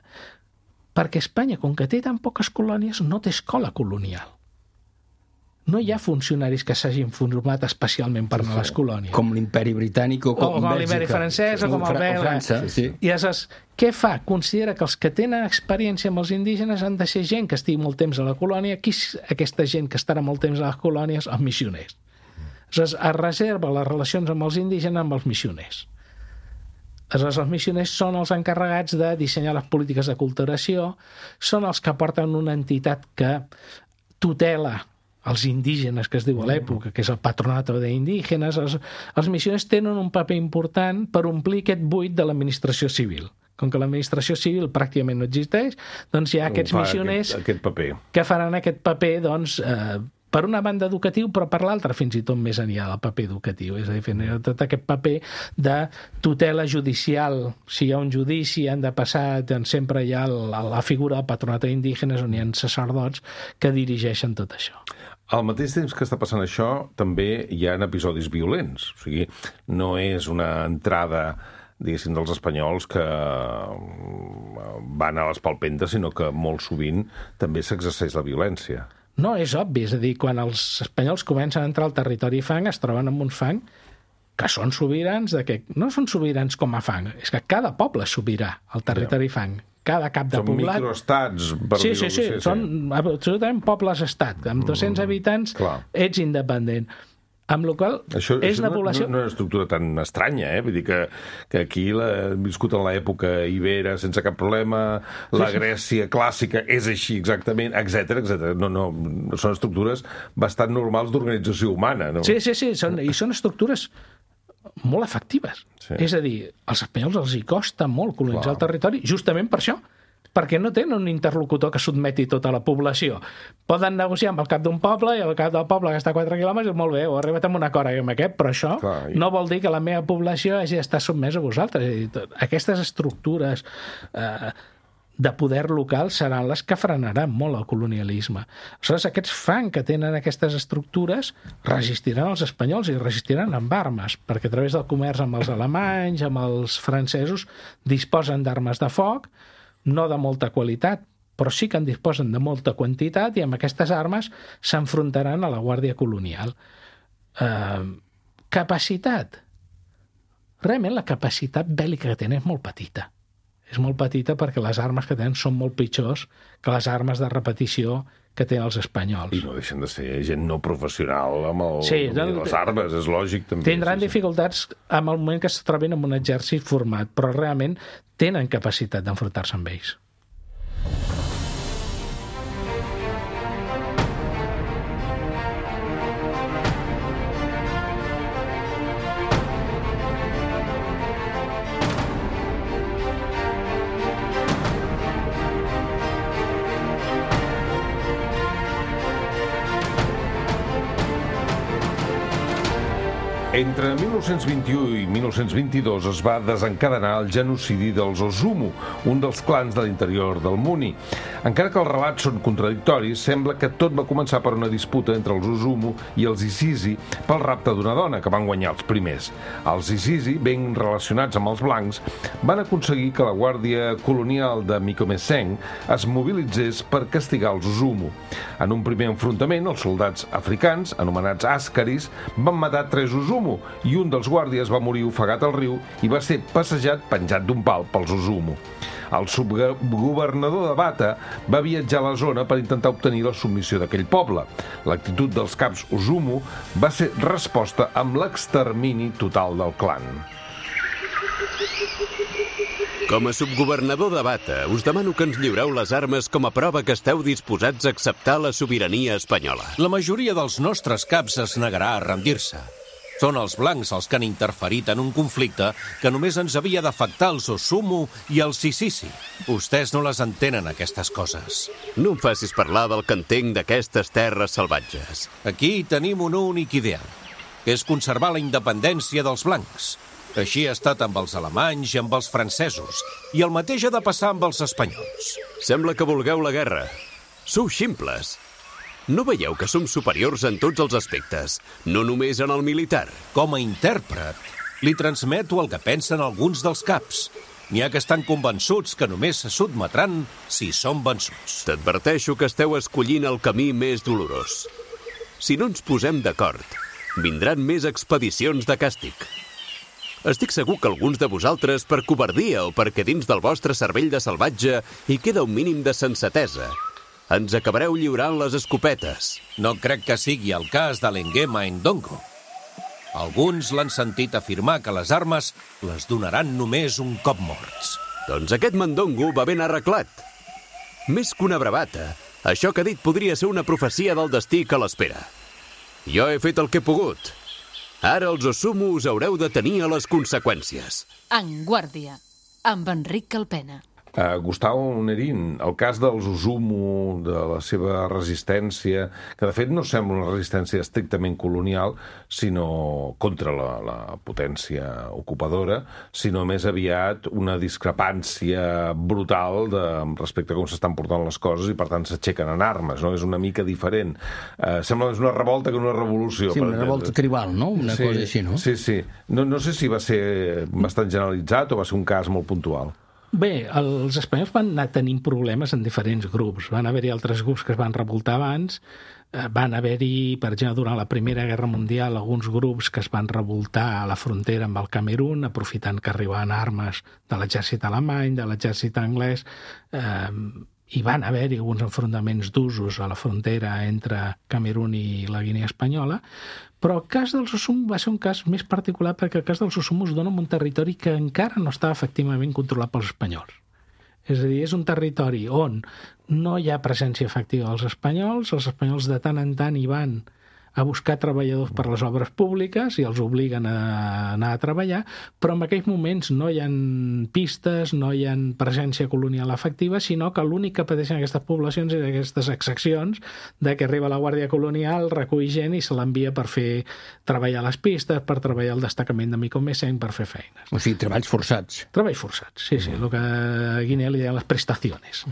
perquè Espanya, com que té tan poques colònies, no té escola colonial. No hi ha funcionaris que s'hagin format especialment per anar a les colònies. Com l'imperi britànic o com l'imperi francès o com el belga. I aleshores, què fa? Considera que els que tenen experiència amb els indígenes han de ser gent que estigui molt temps a la colònia. Qui és aquesta gent que estarà molt temps a les colònies? Els missioners. Aleshores, es reserva les relacions amb els indígenes amb els missioners. Aleshores, els missioners són els encarregats de dissenyar les polítiques d'aculturació, són els que porten una entitat que tutela els indígenes, que es diu a l'època, que és el Patronato de Indígenes. Els missioners tenen un paper important per omplir aquest buit de l'administració civil. Com que l'administració civil pràcticament no existeix, doncs hi ha aquests missioners que faran aquest paper, doncs, per una banda educatiu, però per l'altra fins i tot més enllà del paper educatiu. És a dir, tot aquest paper de tutela judicial. Si hi ha un judici, han de passar, doncs sempre hi ha la figura del Patronato d'Indígenes, on hi ha sacerdots que dirigeixen tot això. Al mateix temps que està passant això, també hi ha episodis violents. O sigui, no és una entrada, diguéssim, dels espanyols que van a les palpentes, sinó que molt sovint també s'exerceix la violència. No, és obvi. És a dir, quan els espanyols comencen a entrar al territori fang, es troben amb uns fang que són sobirans, no són sobirans com a fang, és que cada poble és sobirà al territori fang. Cada cap de poblat... Són microestats, per dir-ho. Sí, són absolutament pobles-estat. Amb 200 habitants ets independent. Amb la qual és una població... No és una estructura tan estranya, Vull dir que aquí hem viscut en l'època ibera sense cap problema, la Grècia clàssica és així exactament, etc. No, són estructures bastant normals d'organització humana, no? Sí, i són estructures molt efectives. És a dir, als espanyols els hi costa molt colonitzar el territori, justament per això, perquè no tenen un interlocutor que sotmeti tota la població. Poden negociar amb el cap d'un poble i el cap del poble que està a 4 quilòmetres i molt bé, ho ha arribat amb un acord amb aquest, però això no vol dir que la meva població hagi d'estar sotmesa a vosaltres. Aquestes estructures de poder local seran les que frenaran molt el colonialisme. Aleshores, aquests fan que tenen aquestes estructures resistiran els espanyols i resistiran amb armes, perquè a través del comerç amb els alemanys, amb els francesos, disposen d'armes de foc, no de molta qualitat, però sí que en disposen de molta quantitat i amb aquestes armes s'enfrontaran a la Guàrdia Colonial. Capacitat. Realment la capacitat bèl·lica que tenen és molt petita. És molt petita perquè les armes que tenen són molt pitjors que les armes de repetició que tenen els espanyols. I no deixen de ser gent no professional amb les armes, és lògic també. Tindran dificultats en el moment que es trobin en un exèrcit format, però realment tenen capacitat d'enfrontar-se amb ells. Entre 1921 i 1922 es va desencadenar el genocidi dels Osumu, un dels clans de l'interior del Muni. Encara que els relats són contradictoris, sembla que tot va començar per una disputa entre els Osumu i els Isisi pel rapte d'una dona, que van guanyar els primers. Els Isisi, ben relacionats amb els blancs, van aconseguir que la Guàrdia Colonial de Micomeseng es mobilitzés per castigar els Osumu. En un primer enfrontament, els soldats africans, anomenats àscaris, van matar 3 Osumu, i un dels guàrdies va morir ofegat al riu i va ser passejat penjat d'un pal pels Osumu. El subgovernador de Bata va viatjar a la zona per intentar obtenir la submissió d'aquell poble. L'actitud dels caps Osumu va ser resposta amb l'extermini total del clan. Com a subgovernador de Bata, us demano que ens lliureu les armes com a prova que esteu disposats a acceptar la sobirania espanyola. La majoria dels nostres caps es negarà a rendir-se. Són els blancs els que han interferit en un conflicte que només ens havia d'afectar els Osumu i els Isisi. Vostès no les entenen, aquestes coses. No em facis parlar del que entenc d'aquestes terres salvatges. Aquí tenim un únic ideal, que és conservar la independència dels blancs. Així ha estat amb els alemanys i amb els francesos, i el mateix ha de passar amb els espanyols. Sembla que vulgueu la guerra. Sou ximples. No veieu que som superiors en tots els aspectes, no només en el militar? Com a intèrpret, li transmeto el que pensen alguns dels caps. N'hi ha que estan convençuts que només se sotmetran si són vençuts. T'adverteixo que esteu escollint el camí més dolorós. Si no ens posem d'acord, vindran més expedicions de càstig. Estic segur que alguns de vosaltres, per covardia o perquè dins del vostre cervell de salvatge hi queda un mínim de sensatesa, ens acabareu lliurant les escopetes. No crec que sigui el cas de l'Enguema Ndongo. Alguns l'han sentit afirmar que les armes les donaran només un cop morts. Doncs aquest Mandongo va ben arreglat. Més que una bravata, això que ha dit podria ser una profecia del destí que l'espera. Jo he fet el que he pogut. Ara els Osumu us haureu de tenir a les conseqüències. En guàrdia, amb Enric Calpena. Gustavo Nerín, el cas dels Osumu, de la seva resistència, que de fet no sembla una resistència estrictament colonial, sinó contra la potència ocupadora, sinó més aviat una discrepància brutal respecte a com s'estan portant les coses i per tant s'aixequen en armes, no? És una mica diferent. Sembla més una revolta que una revolució. Sí, una revolta tribal, no? Una cosa així, no? Sí, sí. No sé si va ser bastant generalitzat o va ser un cas molt puntual. Bé, els espanyols van anar tenint problemes en diferents grups. Van haver-hi altres grups que es van revoltar abans, van haver-hi, per exemple, durant la Primera Guerra Mundial, alguns grups que es van revoltar a la frontera amb el Camerun, aprofitant que arribaven armes de l'exèrcit alemany, de l'exèrcit anglès, hi van haver-hi alguns enfrontaments d'usos a la frontera entre Camerun i la Guinea Espanyola, però el cas dels Osumu va ser un cas més particular perquè el cas dels Osumu es dona en un territori que encara no estava efectivament controlat pels espanyols. És a dir, és un territori on no hi ha presència efectiva dels espanyols de tant en tant hi van a buscar treballadors per les obres públiques i els obliguen a anar a treballar, però en aquells moments no hi ha pistes, no hi ha presència colonial efectiva, sinó que l'únic que pateixen aquestes poblacions és aquestes exaccions de que arriba la Guàrdia Colonial, recull gent i se l'envia per fer treballar les pistes, per treballar el destacament de Micomesén, per fer feines. O sigui, treballs forçats. Treballs forçats, sí, el que a Guinea li deien les prestacions.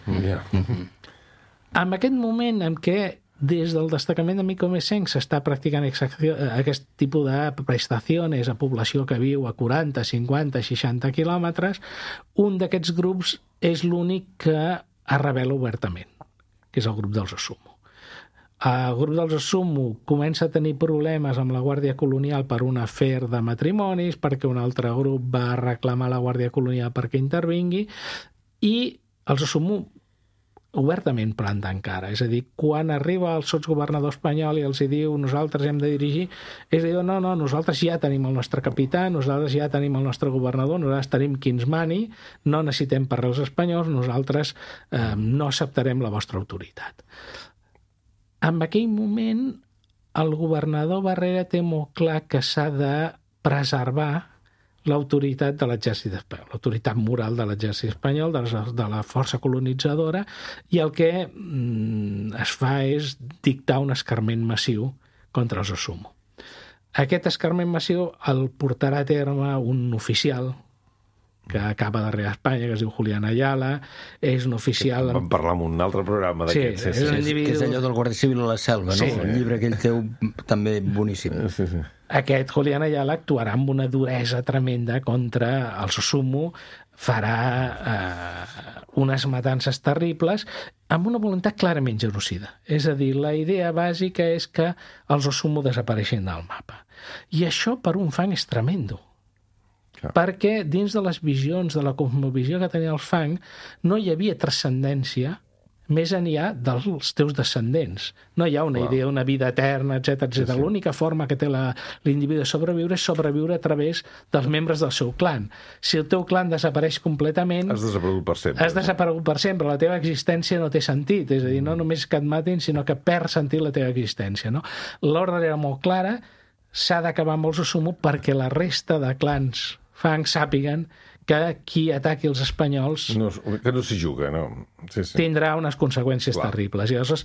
En aquest moment en què des del destacament de Micomesén s'està practicant aquest tipus de prestacions a població que viu a 40, 50, 60 quilòmetres, un d'aquests grups és l'únic que es revela obertament, que és el grup dels Osumo. El grup dels Osumo comença a tenir problemes amb la Guàrdia Colonial per un afer de matrimonis, perquè un altre grup va reclamar a la Guàrdia Colonial perquè intervingui, i els Osumo obertament plantant cara. És a dir, quan arriba el sotsgovernador espanyol i els diu nosaltres hem de dirigir, ells diuen no, nosaltres ja tenim el nostre capità, nosaltres ja tenim el nostre governador, nosaltres tenim qui ens mani, no necessitem per res els espanyols, nosaltres no acceptarem la vostra autoritat. En aquell moment, el governador Barrera té molt clar que s'ha de preservar l'autoritat de l'exèrcit espanyol, l'autoritat moral de l'exèrcit espanyol, de la força colonitzadora, i el que es fa és dictar un escarment massiu contra els Osumo. Aquest escarment massiu el portarà a terme un oficial que acaba d'arribar a Espanya, que es diu Julián Ayala, és un oficial... Vam parlar en un altre programa d'aquest. Sí, és un individu... Que és allò del Guàrdia Civil a la selva, no? Sí. El llibre aquell teu també boníssim. Sí. Aquest Julián Ayala actuarà amb una duresa tremenda contra els Osumo, farà unes matances terribles amb una voluntat clarament genocida. És a dir, la idea bàsica és que els Osumo desapareixin del mapa. I això per un Fang és tremendo. Perquè dins de les visions, de la cosmovisió que tenia el Fang, no hi havia transcendència més enllà dels teus descendents. No hi ha una idea, una vida eterna, etc. Sí. L'única forma que té l'individu de sobreviure és sobreviure a través dels membres del seu clan. Si el teu clan desapareix completament... Has desaparegut per sempre. Has desaparegut per sempre. La teva existència no té sentit. És a dir, no només que et matin, sinó que perd sentit la teva existència. No? L'ordre era molt clara, s'ha d'acabar amb els Osumo perquè la resta de clans Fang sàpiguen que qui ataqui els espanyols que no s'hi juga, no? Sí. Tindrà unes conseqüències terribles. I aleshores,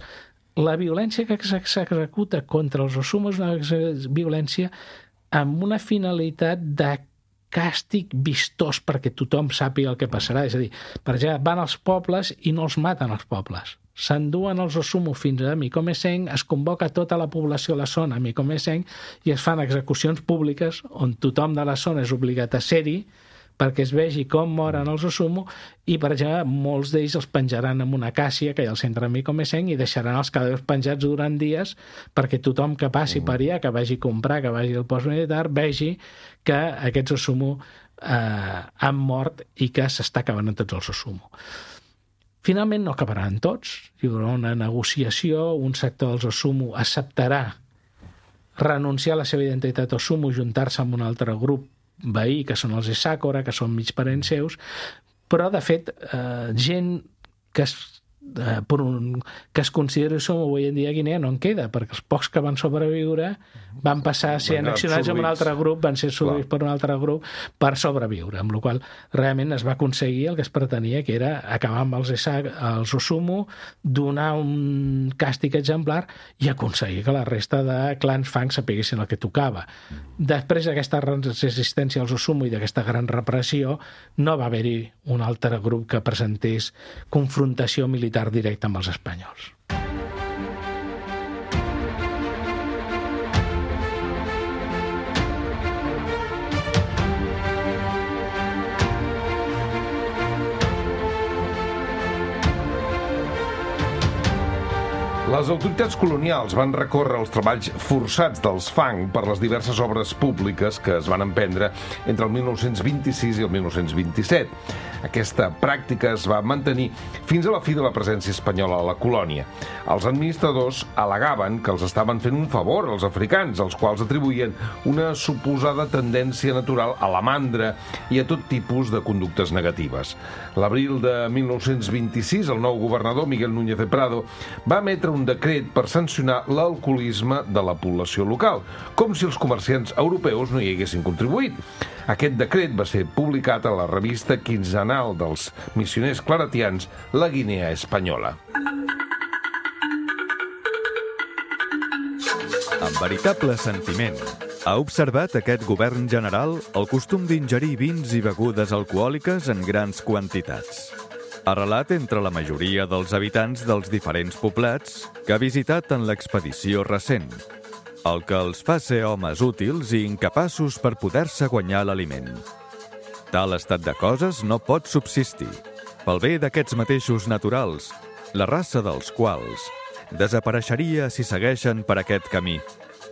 la violència que s'executa contra els Osumo és una violència amb una finalitat de càstig vistós perquè tothom sàpiga el que passarà. És a dir, per exemple, van als pobles i no els maten als pobles. S'enduen els Osumo fins a Micomesén, es convoca tota la població a la zona a Micomesén i es fan execucions públiques on tothom de la zona és obligat a ser-hi perquè es vegi com moren els Osumo i, per exemple, molts d'ells els penjaran en una acàcia que hi ha al centre de Micomesén i deixaran els cadàvers penjats durant dies perquè tothom que passi per allà, que vagi a comprar, que vagi al post militar, vegi que aquests Osumo han mort i que s'està acabant amb tots els Osumo. Finalment no acabaran tots, hi haurà una negociació, un sector dels Osumo acceptarà renunciar a la seva identitat Osumo, juntar-se amb un altre grup veí, que són els Esakora, que són mig parents seus, però de fet gent que es consideri Osumo avui en dia a Guinea no en queda, perquè els pocs que van sobreviure van passar a ser annexionats amb un altre grup, van ser absorbits per un altre grup per sobreviure, amb la qual realment es va aconseguir el que es pretenia, que era acabar amb els Osumo, donar un càstig exemplar i aconseguir que la resta de clans Fang sapiguessin el que tocava. Després d'aquesta resistència als Osumo i d'aquesta gran repressió, no va haver-hi un altre grup que presentés confrontació militar directa amb els espanyols. Les autoritats colonials van recórrer els treballs forçats dels Fang per les diverses obres públiques que es van emprendre entre el 1926 i el 1927. Aquesta pràctica es va mantenir fins a la fi de la presència espanyola a la colònia. Els administradors al·legaven que els estaven fent un favor als africans, als quals atribuïen una suposada tendència natural a la mandra i a tot tipus de conductes negatives. L'abril de 1926, el nou governador, Miguel Núñez de Prado, va emetre un decret per sancionar l'alcoholisme de la població local, com si els comerciants europeus no hi haguessin contribuït. Aquest decret va ser publicat a la revista quinzenal dels missioners claretians, La Guinea Espanyola. Amb veritable sentiment, ha observat aquest govern general el costum d'ingerir vins i begudes alcohòliques en grans quantitats. Arrelat entre la majoria dels habitants dels diferents poblats que ha visitat en l'expedició recent, el que els fa ser homes útils i incapaços per poder-se guanyar l'aliment. Tal estat de coses no pot subsistir, pel bé d'aquests mateixos naturals, la raça dels quals desapareixeria si segueixen per aquest camí.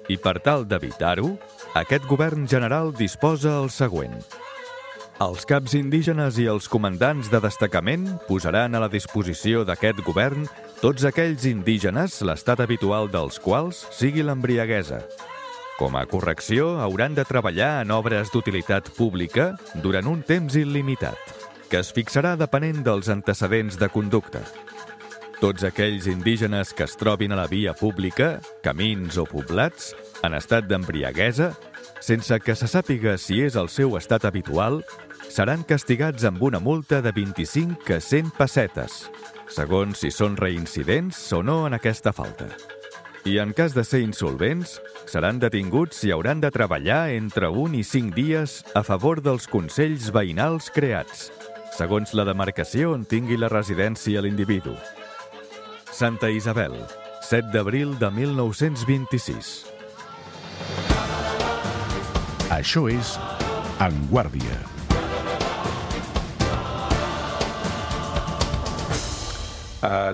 I per tal d'evitar-ho, aquest govern general disposa el següent. Els caps indígenes i els comandants de destacament posaran a la disposició d'aquest govern tots aquells indígenes l'estat habitual dels quals sigui l'embriaguesa. Com a correcció, hauran de treballar en obres d'utilitat pública durant un temps il·limitat, que es fixarà depenent dels antecedents de conducta. Tots aquells indígenes que es trobin a la via pública, camins o poblats, en estat d'embriaguesa, sense que se sàpiga si és el seu estat habitual, seran castigats amb una multa de 25 a 100 pessetes, segons si són reincidents o no en aquesta falta. I en cas de ser insolvents, seran detinguts i hauran de treballar entre 1 i 5 dies a favor dels consells veïnals creats, segons la demarcació on tingui la residència l'individu. Santa Isabel, 7 d'abril de 1926. Això és En Guàrdia.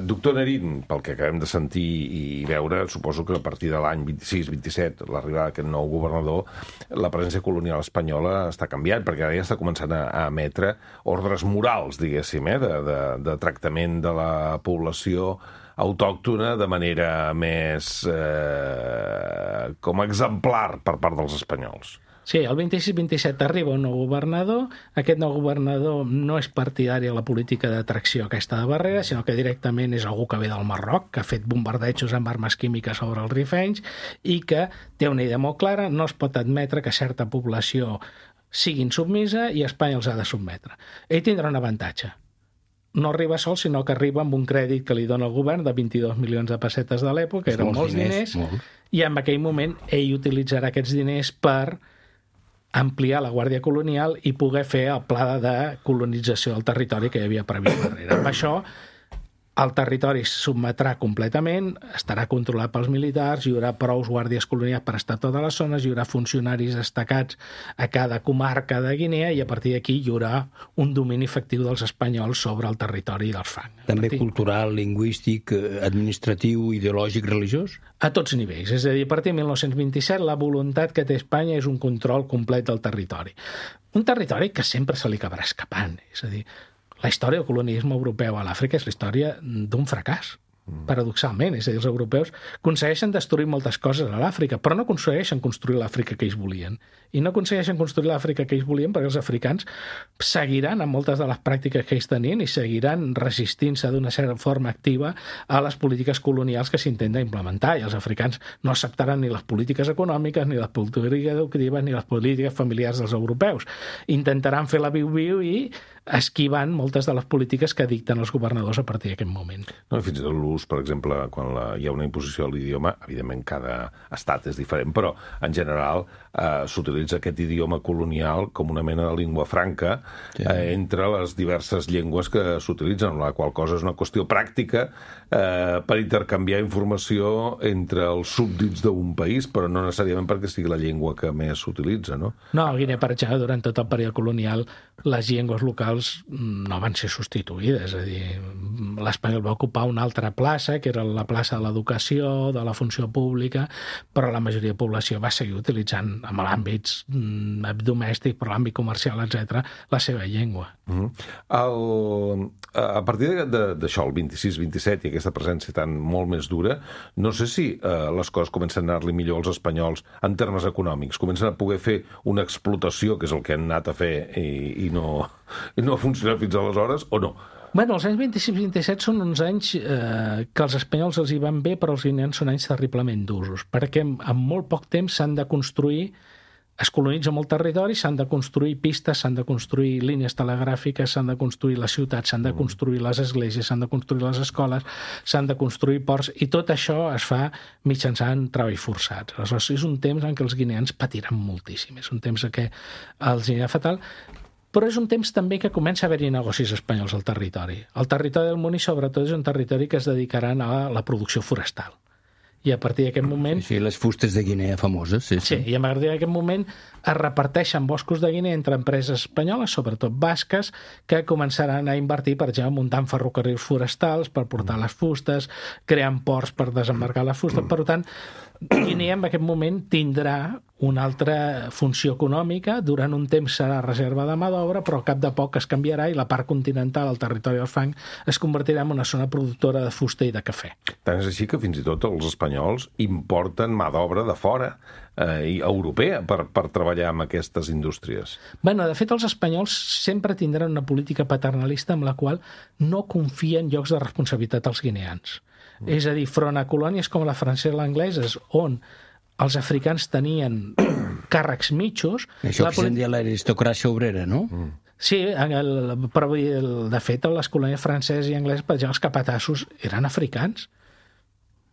Doctor Nerín, pel que acabem de sentir i veure, suposo que a partir de l'any 26-27, l'arribada d'aquest nou governador, la presència colonial espanyola està canviant, perquè ara ja està començant a emetre ordres morals, diguéssim, de tractament de la població autòctona de manera més com exemplar per part dels espanyols. Sí, el 26-27 arriba un nou governador. Aquest nou governador no és partidari a la política d'atracció aquesta de Barrera, sinó que directament és algú que ve del Marroc, que ha fet bombardejos amb armes químiques sobre els rifenys i que té una idea molt clara: no es pot admetre que certa població sigui insubmisa i Espanya els ha de sotmetre. Ell tindrà un avantatge. No arriba sol, sinó que arriba amb un crèdit que li dona el govern de 22 milions de pessetes de l'època, eren molts diners, i en aquell moment ell utilitzarà aquests diners per ampliar la Guàrdia Colonial i poder fer el pla de colonització del territori que hi havia previst darrere. Amb això, el territori es sotmetrà completament, estarà controlat pels militars, hi haurà prous guàrdies colonials per estar a totes les zones, hi haurà funcionaris destacats a cada comarca de Guinea i a partir d'aquí hi haurà un domini efectiu dels espanyols sobre el territori dels fang. També cultural, lingüístic, administratiu, ideològic, religiós? A tots nivells. És a dir, a partir de 1927 la voluntat que té Espanya és un control complet del territori. Un territori que sempre se li acabarà escapant. És a dir, la història del colonialisme europeu a l'Àfrica és la història d'un fracàs, paradoxalment. És a dir, els europeus aconsegueixen destruir moltes coses a l'Àfrica, però no aconsegueixen construir l'Àfrica que ells volien. I no aconsegueixen construir l'Àfrica que ells volien perquè els africans seguiran amb moltes de les pràctiques que ells tenien i seguiran resistint-se d'una certa forma activa a les polítiques colonials que s'intenten implementar. I els africans no acceptaran ni les polítiques econòmiques, ni les polítiques educatives, ni les polítiques familiars dels europeus. Intentaran fer la viu-viu i esquivant moltes de les polítiques que dicten els governadors a partir d'aquest moment. No, fins i tot l'ús, per exemple, quan hi ha una imposició de l'idioma, evidentment cada estat és diferent, però en general s'utilitza aquest idioma colonial com una mena de llengua franca entre les diverses llengües que s'utilitzen, la qual cosa és una qüestió pràctica per intercanviar informació entre els súbdits d'un país, però no necessàriament perquè sigui la llengua que més s'utilitza, no? No, a Guinea, per exemple, durant tot el període colonial les llengües locals no van ser substituïdes, és a dir, l'espanyol va ocupar una altra plaça, que era la plaça de l'educació, de la funció pública, però la majoria de població va seguir utilitzant, en l'àmbit domèstic, per l'àmbit comercial, etc., la seva llengua. A partir d'això, el 26-27, i aquesta presència tan molt més dura, no sé si les coses comencen a anar-li millor als espanyols en termes econòmics, comencen a poder fer una explotació, que és el que han anat a fer i no ha funcionat fins aleshores, o no? Bueno, els anys 26-27 són uns anys que als espanyols els hi van bé, però els guineans són anys terriblement d'usos, perquè en molt poc temps s'han de construir, es colonitza molt territori, s'han de construir pistes, s'han de construir línies telegràfiques, s'han de construir les ciutats, s'han de construir les esglésies, s'han de construir les escoles, s'han de construir ports, i tot això es fa mitjançant treball forçats. Aleshores, és un temps en què els guineans patiran moltíssim, és un temps en què els anirà fatal, però és un temps també que comença a haver-hi negocis espanyols al territori. El territori del Muni, sobretot, és un territori que es dedicaran a la producció forestal. I a partir d'aquest moment... Sí, les fustes de Guinea famoses, sí. Sí, i a partir d'aquest moment es reparteixen boscos de Guinea entre empreses espanyoles, sobretot basques, que començaran a invertir, per exemple, muntant ferrocarrils forestals per portar les fustes, creant ports per desembarcar les fustes. Per tant, Guinea en aquest moment tindrà una altra funció econòmica, durant un temps serà reserva de mà d'obra, però al cap de poc es canviarà i la part continental, el territori del fang, es convertirà en una zona productora de fusta i de cafè. Tant és així que fins i tot els espanyols importen mà d'obra de fora, europea, per treballar amb aquestes indústries. Bueno, de fet, els espanyols sempre tindran una política paternalista amb la qual no confien llocs de responsabilitat als guineans. És a dir, front a colònies com la francesa i l'angleses, on els africans tenien càrrecs mitjos... Això que se'n dia l'aristocràcia obrera, no? Sí, però de fet, les colònies franceses i angleses, per exemple, els capatassos eren africans.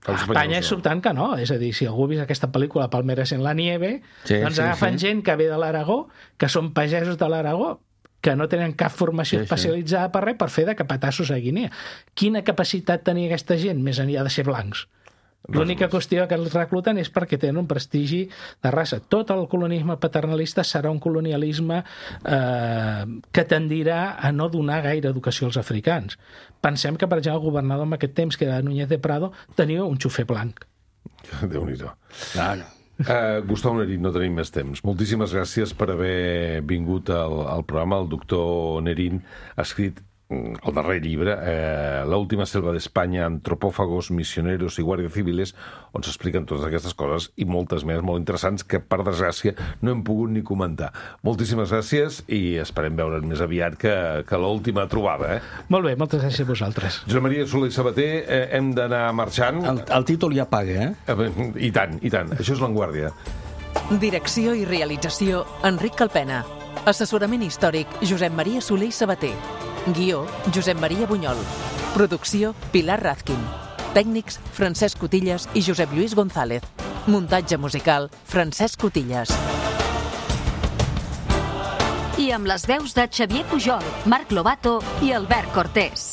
A Espanya és sobtant que no, és a dir, si algú ha vist aquesta pel·lícula Palmeras en la nieve, doncs agafen gent que ve de l'Aragó, que són pagesos de l'Aragó, que no tenen cap formació especialitzada per res, per fer de capatassos a Guinea. Quina capacitat tenia aquesta gent, més enllà de ser blancs? L'única qüestió que els recluten és perquè tenen un prestigi de raça. Tot el colonialisme paternalista serà un colonialisme que tendirà a no donar gaire educació als africans. Pensem que, per exemple, el governador en aquest temps, que era Núñez de Prado, tenia un xofer blanc. Déu-n'hi-do. Claro. Gustau Nerín, no tenim més temps. Moltíssimes gràcies per haver vingut al programa. El doctor Nerín ha escrit el darrer llibre, La última selva d'Espanya, antropòfagos, misioneros i guàrdies civiles, on s'expliquen totes aquestes coses i moltes més molt interessants que, per desgràcia, no hem pogut ni comentar. Moltíssimes gràcies i esperem veure'n més aviat que l'última trobada. Molt bé, moltes gràcies a vosaltres. Josep Maria Soler i Sabater, hem d'anar marxant. El títol ja paga, I tant, i tant. Això és L'Enguàrdia. Direcció i realització, Enric Calpena. Assessorament històric, Josep Maria Soler i Sabater. Guió, Josep Maria Bunyol. Producció, Pilar Razkin. Tècnics, Francesc Cotillas i Josep Lluís González. Muntatge musical, Francesc Cotillas. I amb les veus de Xavier Pujol, Marc Lobato i Albert Cortés.